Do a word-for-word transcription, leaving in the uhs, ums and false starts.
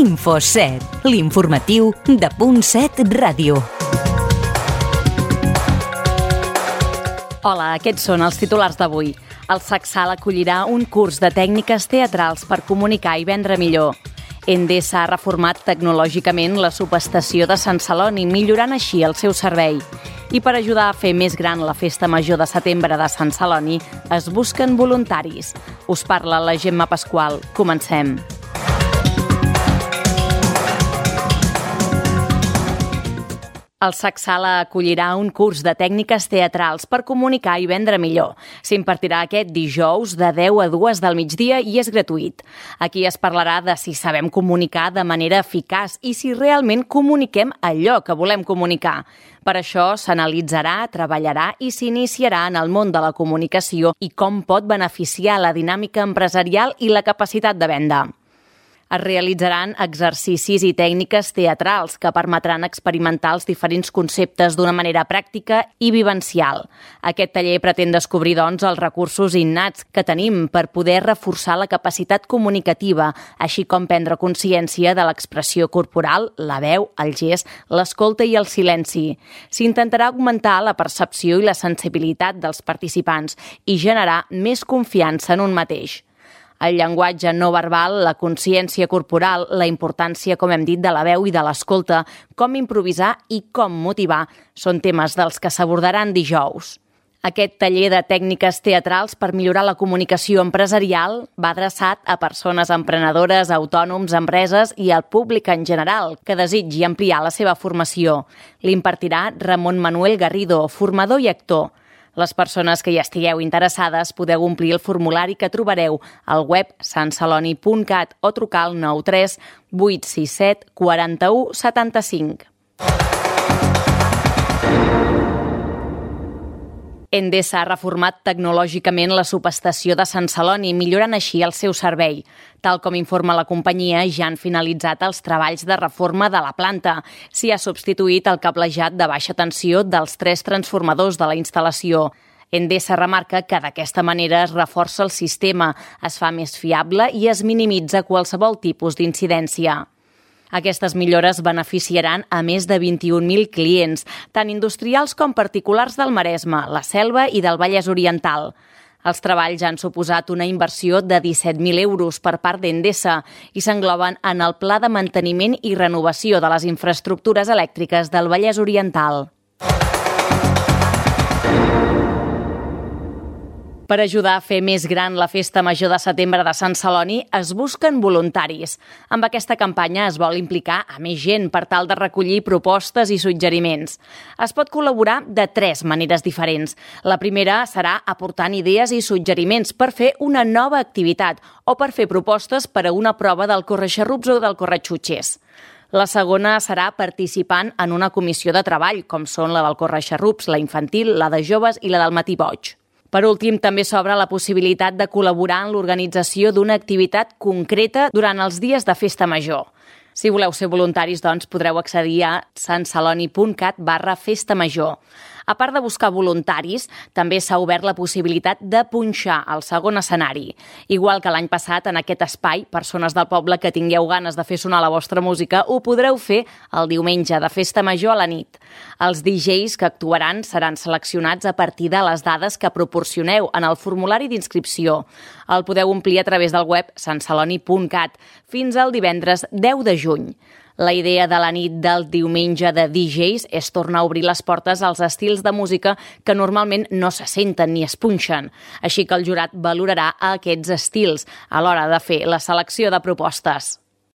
Info set, l'informatiu de Punt set Ràdio. Hola, aquests són els titulars d'avui. El Sacsal acollirà un curs de tècniques teatrals per comunicar i vendre millor. Endesa ha reformat tecnològicament la subestació de Sant Celoni, millorant així el seu servei. I per ajudar a fer més gran la Festa Major de Setembre de Sant Celoni, es busquen voluntaris. Us parla la Gemma Pasqual. Comencem. El Sacsal acollirà un curs de tècniques teatrals per comunicar i vendre millor. S'impartirà aquest dijous de deu a dues del migdia i és gratuït. Aquí es parlarà de si sabem comunicar de manera eficaç i si realment comuniquem allò que volem comunicar. Per això s'analitzarà, treballarà i s'iniciarà en el món de la comunicació i com pot beneficiar la dinàmica empresarial i la capacitat de venda. Es realitzaran exercicis i tècniques teatrals que permetran experimentar els diferents conceptes d'una manera pràctica i vivencial. Aquest taller pretén descobrir, doncs, els recursos innats que tenim per poder reforçar la capacitat comunicativa, així com prendre consciència de l'expressió corporal, la veu, el gest, l'escolta i el silenci. S'intentarà augmentar la percepció i la sensibilitat dels participants i generar més confiança en un mateix. El llenguatge no verbal, la consciència corporal, la importància, com hem dit, de la veu i de l'escolta, com improvisar i com motivar, són temes dels que s'abordaran dijous. Aquest taller de tècniques teatrals per millorar la comunicació empresarial va adreçat a persones emprenedores, autònoms, empreses i al públic en general que desitgi ampliar la seva formació. L'impartirà Ramon Manuel Garrido, formador i actor. Les persones que hi estigueu interessades podeu omplir el formulari que trobareu al web sant celoni punt cat o trucar al nou tres vuit sis set quatre u set cinc. Endesa ha reformat tecnològicament la subestació de Sant Celoni, millorant així el seu servei. Tal com informa la companyia, ja han finalitzat els treballs de reforma de la planta. S'hi ha substituït el cablejat de baixa tensió dels tres transformadors de la instal·lació. Endesa remarca que d'aquesta manera es reforça el sistema, es fa més fiable i es minimitza qualsevol tipus d'incidència. Aquestes millores beneficiaran a més de vint-i-un mil clients, tant industrials com particulars del Maresme, la Selva i del Vallès Oriental. Els treballs han suposat una inversió de disset mil euros per part d'Endesa i s'engloben en el Pla de Manteniment i Renovació de les Infraestructures Elèctriques del Vallès Oriental. Per ajudar a fer més gran la Festa Major de Setembre de Sant Celoni, es busquen voluntaris. Amb aquesta campanya es vol implicar a més gent per tal de recollir propostes i suggeriments. Es pot col·laborar de tres maneres diferents. La primera serà aportant idees i suggeriments per fer una nova activitat o per fer propostes per a una prova del correxarrups o del correxutxers. La segona serà participant en una comissió de treball, com són la del correxarrups, la infantil, la de joves i la del matí boig. Per últim, també s'obre la possibilitat de col·laborar en l'organització d'una activitat concreta durant els dies de Festa Major. Si voleu ser voluntaris, doncs, podreu accedir a sant celoni punt cat barra festa major. A part de buscar voluntaris, també s'ha obert la possibilitat de punxar al segon escenari. Igual que l'any passat, en aquest espai, persones del poble que tingueu ganes de fer sonar la vostra música, ho podreu fer el diumenge de Festa Major a la nit. Els D Js que actuaran seran seleccionats a partir de les dades que proporcioneu en el formulari d'inscripció. El podeu omplir a través del web sant celoni punt cat fins al divendres deu de juny. La idea de la nit del diumenge de D Js és tornar a obrir les portes als estils de música que normalment no se senten ni es punxen. Així que el jurat valorarà aquests estils a l'hora de fer la selecció de propostes.